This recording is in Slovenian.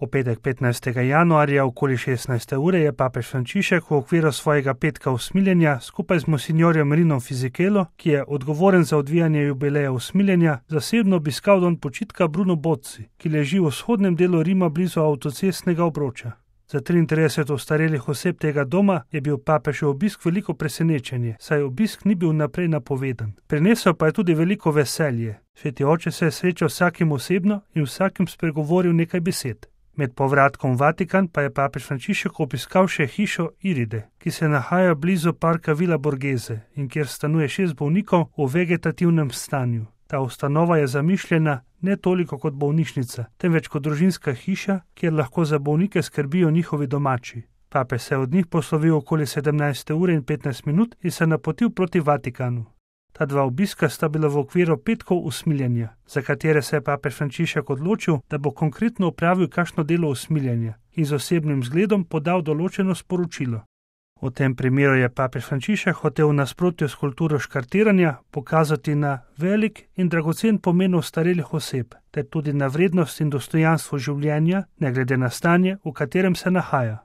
V petek 15. januarja okoli 16. ure je papež Frančišek v okviru svojega petka usmiljenja skupaj z monsinjorjem Rinom Fisichelo, ki je odgovoren za odvijanje jubileja usmiljenja, zasebno obiskal dom počitka Bruno Bozzi, ki leži v vzhodnem delu Rima blizu avtocestnega obroča. Za 33 ostarelih oseb tega doma je bil papežev obisk veliko presenečenje, saj obisk ni bil naprej napovedan. Prinesel pa je tudi veliko veselje. Sveti oče se je srečal vsakim osebno in vsakim spregovoril nekaj besed. Med povratkom v Vatikan pa je papež Frančišek obiskal še hišo Iride, ki se nahaja blizu parka Villa Borghese in kjer stanuje 6 bolnikov v vegetativnem stanju. Ta ustanova je zamišljena ne toliko kot bolnišnica, temveč kot družinska hiša, kjer lahko za bolnike skrbijo njihovi domači. Papež se je od njih poslovil okoli 17. ure in 15 minut in se napotil proti Vatikanu. Ta dva obiska sta bila v okviru petkov usmiljenja, za katere se je papež Frančišek odločil, da bo konkretno opravil kakšno delo usmiljenja in z osebnim zgledom podal določeno sporočilo. V tem primeru je papež Frančišek hotel v nasprotju s kulturo škartiranja pokazati na velik in dragocen pomen ostarelih oseb, ter tudi na vrednost in dostojanstvo življenja, ne glede na stanje, v katerem se nahaja.